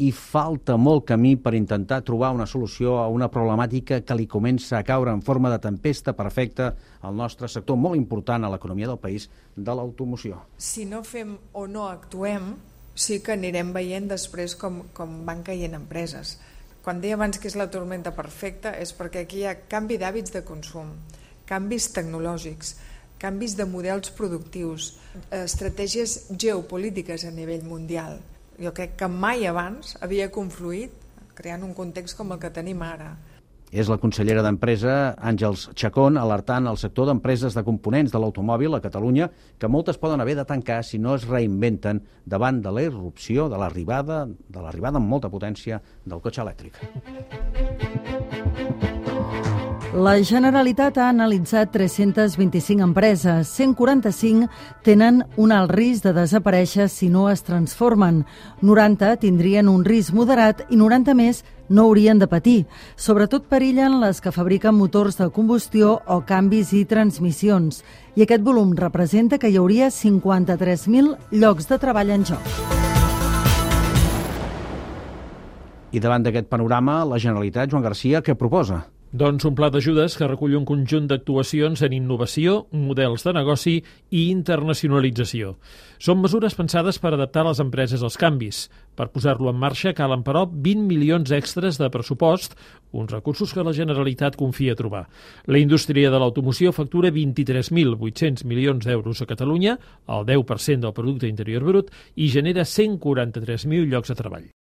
I falta molt camí per intentar trobar una solució a una problemàtica que li comença a caure en forma de tempesta perfecta al nostre sector molt important a l'economia del país, de l'automoció. Si no fem o no actuem, sí que anirem veient després com van caient empreses. Quan deia abans que és la tormenta perfecta és perquè aquí hi ha canvi d'hàbits de consum, canvis tecnològics, canvis de models productius, estratègies geopolítiques a nivell mundial. Jo crec que mai abans havia confluït creant un context com el que tenim ara. És la consellera d'Empresa, Àngels Chacón, alertant el sector d'empreses de components de l'automòbil a Catalunya que moltes poden haver de tancar si no es reinventen davant de la irrupció de l'arribada amb molta potència del cotxe elèctric. La Generalitat ha analitzat 325 empreses. 145 tenen un alt risc de desaparèixer si no es transformen. 90 tindrien un risc moderat i 90 més no haurien de patir. Sobretot perillen les que fabriquen motors de combustió o canvis i transmissions. I aquest volum representa que hi hauria 53.000 llocs de treball en joc. I davant d'aquest panorama, la Generalitat, Joan Garcia, què proposa? Doncs un pla d'ajudes que recull un conjunt d'actuacions en innovació, models de negoci i internacionalització. Són mesures pensades per adaptar les empreses als canvis. Per posar-lo en marxa calen, però, 20 milions extres de pressupost, uns recursos que la Generalitat confia trobar. La indústria de l'automoció factura 23.800 milions d'euros a Catalunya, el 10% del producte interior brut, i genera 143.000 llocs de treball.